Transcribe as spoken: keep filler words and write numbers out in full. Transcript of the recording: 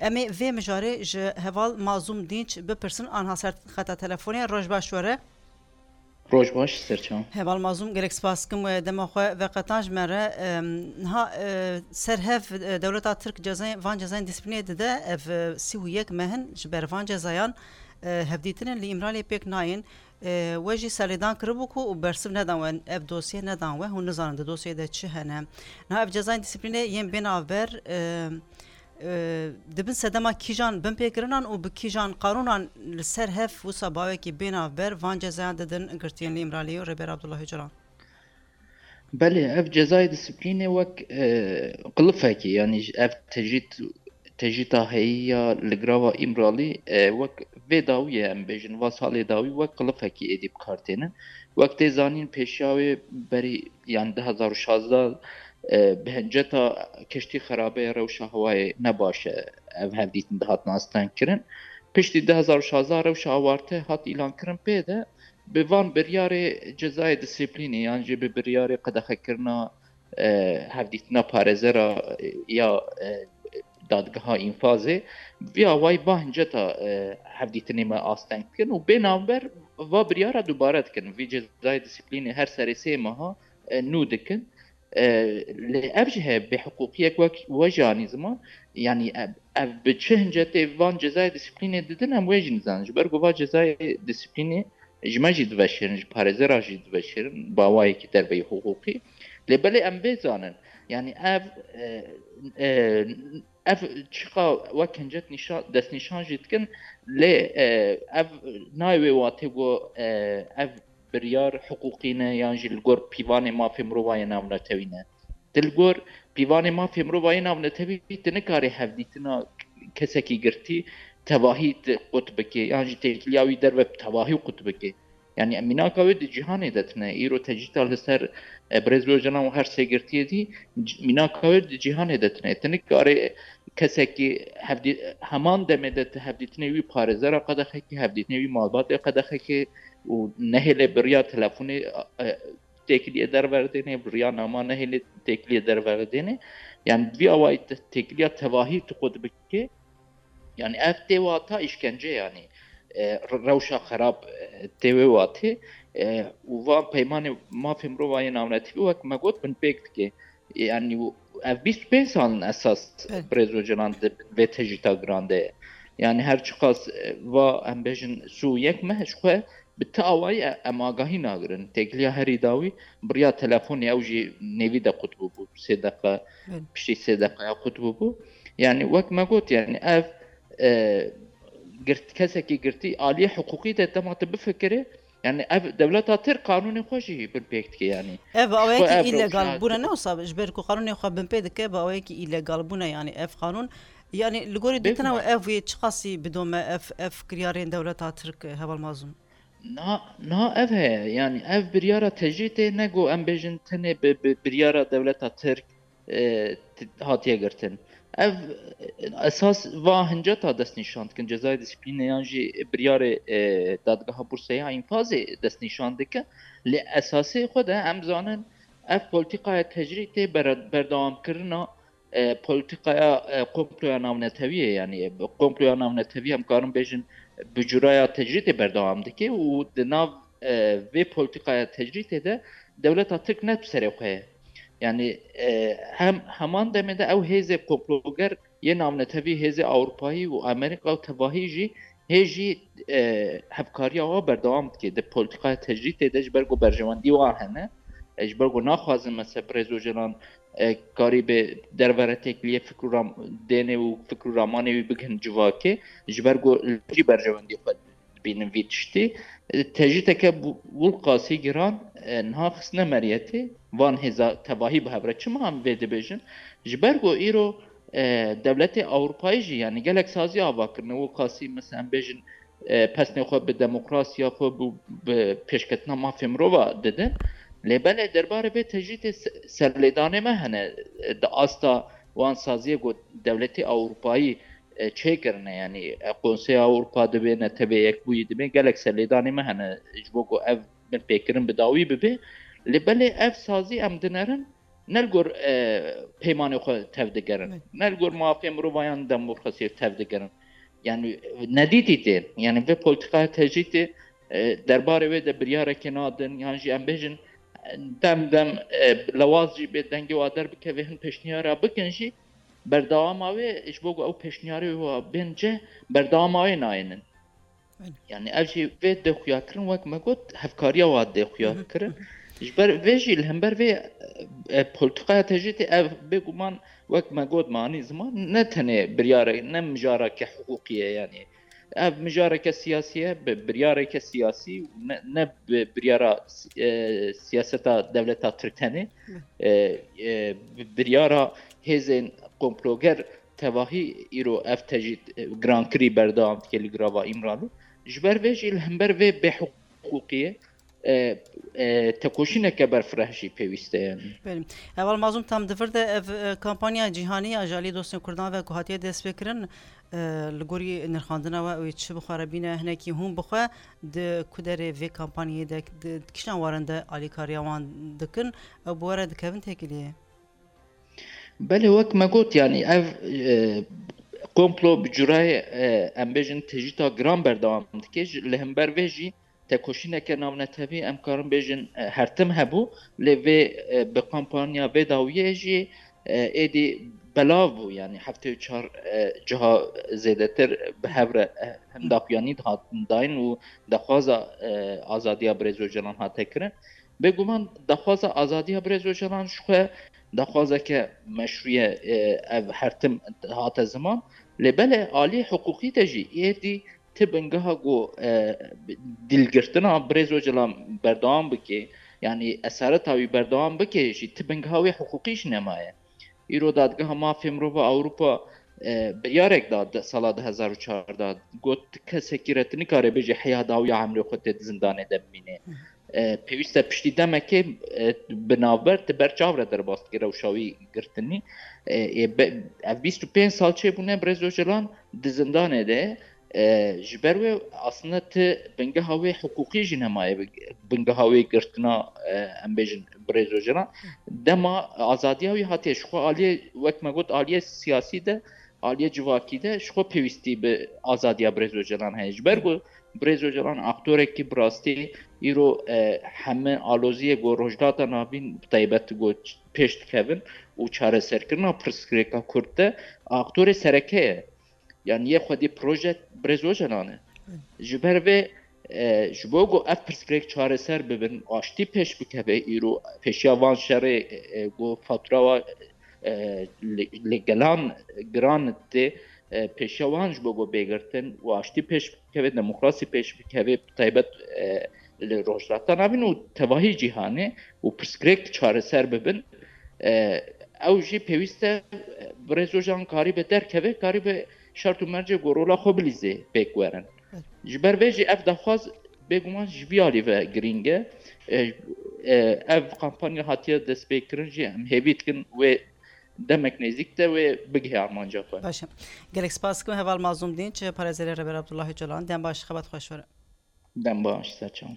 Em ê vê mijarê ji heval Mazlûm Dînç bipirsin, anha ser xeta telefonê. Roj baş were. Roj baş, serçav. Heval Mazlûm, gelek spas dikim we dema xwe veqetan ji me re. Em, niha, e, ser hev, e, dewleta Tirk cezayên, van cezayên disiplînê dide. Ev, e, sî û yek meh in ji ber van cezayan, e, hevdîtinên li Îmraliyê pêk nayên. E, we jî serlêdan kiribû ku û bersiv nedan we, ev dosye nedan we, hûn nizanin di dosyeyê de çi hene. Niha ev cezayên disiplînê yên bê navber, e, e, dibin sedema kîjan binpêkirinan û bi kîjan qanûnan li ser hev wisa bawekî bê navber van cezayan didin girtiyên li Îmraliyê û Rêber Abdullah Ocalan? Belê, ev cezayê disiplînê wek, e, qilifekî, yanî ev tecrîd, tecrîda heyî ya li girava Îmralî, e, wek vê dawiyê, em bêjin, va salê dawî wek qilifekî êdî bi kar tênin. Wek tê zanîn, pêşiya wê berî, yanî du hezar û şazdeh, e, bi hinceta keştî xerabe ye, rewşa hewayê ne baş e, ev hevdîtin dihatin astengkirin. Piştî du hezar û şazdeh rewşa awarte hat îlankirin pê de, bi van biryarê cezayê disiplînê yan jî bi biryarê qedexekirina, e, hevdîtina parêzera, e, ya, e, dadgeha înfazê, vî awayî va hinceta, e, hevdîtinê me asteng dikin û bê navber va biryara dubare dikin. Vî cezayê disiplînê her serê sê meha, e, nû dikin. E, lê ev jî heye bêhiqûqiyek wek we jî anî ziman, yanî ev, ev bi çi hincetê van cezayê disiplînê didin, em wê jî nizanin. Ji ber ku va cezayê disiplînê ji me jî diveşêrin, ji parêzera jî diveşêrin, bi awayekî derveyî hiqûqî. Lê belê em vê zanin, yanî ev, e, e, ev çiqa wek hincet nîşa-, destnîşan jî dikin, lê, e, ev nayê wê watê ku, e, ev biryar hiqûqî ne yan jî li gor pîvanê mafê mirovan yê navnetewî ne. Ti li gor pîvanê mafê mirovan yê navnetewî, ti nikarî hevdîtina kesekî girtî tevahî ti qut bikê yan jî têkiliya wî derve bi tevahî qut bikê. Yanî mînaka wê di cîhanê de tine. Îro tecrîta li ser, e, Birêz Ocalan û her sê girtiyê dî c-, mînaka wê di cîhanê de tine. Ti nikarê kesekî hevdî-, heman demê de ti hevdîtinê wî parêzera qedexekê, hevdîtinê wî malbatê qedexekê û nehêlê bi riya telefonê, e, têkiliyê derverdênê, bi riya nama nehêlê têkiliyê derverdênê. Yanî bi vî awayî te-, têkiliya tevahî tu qut bikê. Yanî ev tê wata îşkence, yanî, e, re-, rewşa xerab, e, tê wê watê, e, û van peymanê mafê mirovan yê navnetewî wek me got binpêk dike. Yanî ev bîst û pênc sal in esas Birêz Ocalan di bin vê tecrîta giran de ye. Yanî her çiqas, e, va em bêjin sî û yek meh ji xwe bi ti awayî e-, em agahî nagirin. Têkiliya herî dawî bi riya telefonê ew jî nêvî de qut bûbû. Sê deqa, piştî sê deqaya qut bûbû. Yanî wek me got, yanî ev, e, girt-, kesekî girtî aliyê hiqûqî de dema tu bifikirî, yanî ev dewleta Tirk qanûnê xwe jî binpêk dike, yanî. Ev bi awayekî îlegal bûne, ne wisa ji ber ku qanûnê xwe binpê dike, bi awayekî îlegal bûne, yanî ev qanûn, yanî li gorî dîtina we ev wê çiqasî bidome ev, ev kiryarên dewleta Tirk, heval Mazlûm? Na, na ev heye, yanî ev biryara tecrîtê ne ku em bêjin tenê bi, bi biryara dewleta Tirk, e, ti-, hatiye girtin. Ev, e, esas va hinceta destnîşan dikin, cezayê disiplînê yan jî biryarê, e, dadgeha Bursê ya înfazê destnîşan dike. Lê esasê xwe de em zanin ev polîtîkaya tecrîtê ber-, berdewamkirina, e, polîtîkaya, e, komploya navnetewî ye. Yanî, e, komploya navnetewî em karin bêjin bi curaya tecrîtê berdewam dike û di nav, e, vê polîtîkaya tecrîtê de dewleta Tirk ne bi serê xwe ye. Yanî, e, hem heman demê de ew hêzê komploger yê navnetewî, hêzê Ewropayî û Amerîka û tevahî jî hê jî, e, hevkariya wan berdewam dike di polîtîkaya tecrîtê de, ji ber ku berjewendî wan hene. E, ji ber ku naxwazin, mesela, Birêz Ocalan, e, karî bi derve re têkiliyê fikr û ram-, dênê û fikr û ramanê wî bigihin civakê, ji ber ku jî berjewendî xwe dibînin vî tiştî. E, tecrîteke bu-, wilqasî giran, e, niha xistine meriyetê van hêza tevahî bi hev re. Çima em vê dibêjin? Ji ber ku îro, e, dewletê Ewropayî jî, yanî gelek sazî ava kirine, wilqasî, mesela, em bêjin, e, pesnê xwe bi demokrasiya xwe, bi, bi pêşketina mafê mirova didin. Lê belê derbarê vê tecrîtê se-, serlêdanê me hene, e, di asta wan saziyê ku dewletê Ewropayî, e, çêkirine, yanî, e, Konseya Ewropa dibe, Netewê Yekbûyî dibe, gelek serlêdanê me hene, ji bo ku ev binpêkirin bi dawî bibe. Lê belê ev sazî em dinerin, ne li gor e, peymanê xwe tev digerin, ne li gor mafê mirovayan demokrasiyê tev digerin. Yani nedîtî tê. Yani vê politikaya tecrîtê e, derbarê wê de biryarekê nadin, yan jî em bêjin e, dem dem e, lewaz jî bê dengê wa derbikeve, hin pêşniyara bikin jî, berdewama wê ji bo ku ew pêşniyarê wa bên cih, berdewama wê nayênin. Yani ev jî vê dê xuya kirin, wek me got, hevkariya wa dê xuya kirin. Ji ber vê jî, li hember vê e, politikaya tecrîtê ev bêguman, wek me got, me anî ziman, ne tenê biryarek, ne mijareke hiqûqî ye, yani ev mijareke siyasî ye, bi biryareke siyasî û ne, ne bi biryara e, siyaseta dewleta Tirk tenê, e, e, bi biryara hêzên komploger tevahî îro ev tecrît e, girankirî berdewam dike li girava Îmralî. Ji ber vê jî, li hember vê bêhiqûqiyê e, e, tekoşîneke berfireh jî pêwîst e, yani. Belê. Heval Mazlûm, tam di vir de ev e, kampanya cîhanî ya ji alî dostên Kurdan ve ku hatiye destpêkirin, e, li gorî nirxandina we, ew ê çi bi xwe re bîne, hinekî hûn bi xwe di ku derê vê kampanyayê de, di, di kîjan warin de alîkariya wan dikin, ew bi we re dikevin têkiliyê? Belê, wek me got, yani ev e, komplo bi curayê e, em bêjin tecrîta giran berdewam dike. Ji, li hember vê jî tekoşîneke navnetewî, em karin bêjin e, her tim hebû, lê vê e, bi kampanya vê dawiyê jî e, êdî belav bû, yani heftê û çar e, ciha zêdetir bi hev re e, hem daxuyanî dihatin dayîn û daxwaza e, azadiya Birêz Ocalan hate kirin. Bêguman daxwaza azadiya Birêz Ocalan ji xwe daxwazeke meşrû ye, e, ev her tim hate ziman. Lê belê alî hiqûqî de jî êdî ti bingeha ku e, dilgirtina Birêz Ocalan berdewam bike, yani esareta wî berdewam bike jî, ti bingeha wê hiqûqî jî nemaye. Îro Dadgeha Mafê Mirova Ewropa e, biryarek da de, sala du hezar û çardeh, got, kesekî re tu nikare bêjî heya dawiya emrê xwe tê di zindanê de bimîne. E, pêwîst e piştî demekê e, bi navber tu ber çav re derbas dike rewşa wî girtinî. E, ê be, ev bîst û pênc sal çêbûne Birêz Ocalan di zindanê de. E, ji ber wê aslında ti bingeha wê hiqûqî jî nemaye, bingeha wê girtina e, em bêjin Birêz Ocalan. Dema azadiya wî hatiye ji xwe aliyê, wek me got, aliyê siyasî de, aliyê civakî de ji xwe pêwîstî bi azadiya Birêz Ocalan heye. Ji ber ku Birêz Ocalan aktorekî bi rastî îro e, heme aloziyê ku Rojhilata Navîn bi taybet ku pêş dikevin û çareserkirina pirsgirêka Kurd de aktorê sereke ye. Yani yê xwedî proje Birêz Ocalan e. Ji ber vê e, ji bo ku ev pirsgirêk çareser bibin, aştî pêş bikeve, îro pêşiya van şerê e, ku fatura wa e, li, li gelan giran tê, e, pêşiya wan ji bo ku bê girtin û aştî pêş bikeve, demokrasî pêş bikeve, bi taybet e, li Rojhilata Navîn û tevahî cîhanê û pirsgirêk çareser bibin, e, ew jî pêwîst e, e, Birêz Ocalan karîbe derkeve, karîbe şert û mercê ku rola xwe bilîzê pêk werin. Ji ber vê jî ev daxwaz bêguman ji vî alî ve girîng e. E, e, ev kampanya hatiye destpêkirin jî em hêvî dikin wê demek nêzîk de wê bigihe armanca xwe. Baş e. Gelek spas dikim Heval Mazlûm Dînç, parêzerê Rêber Abdullah Ocalan. Dem baş, xebat xweş were. Dem baş, ser çav.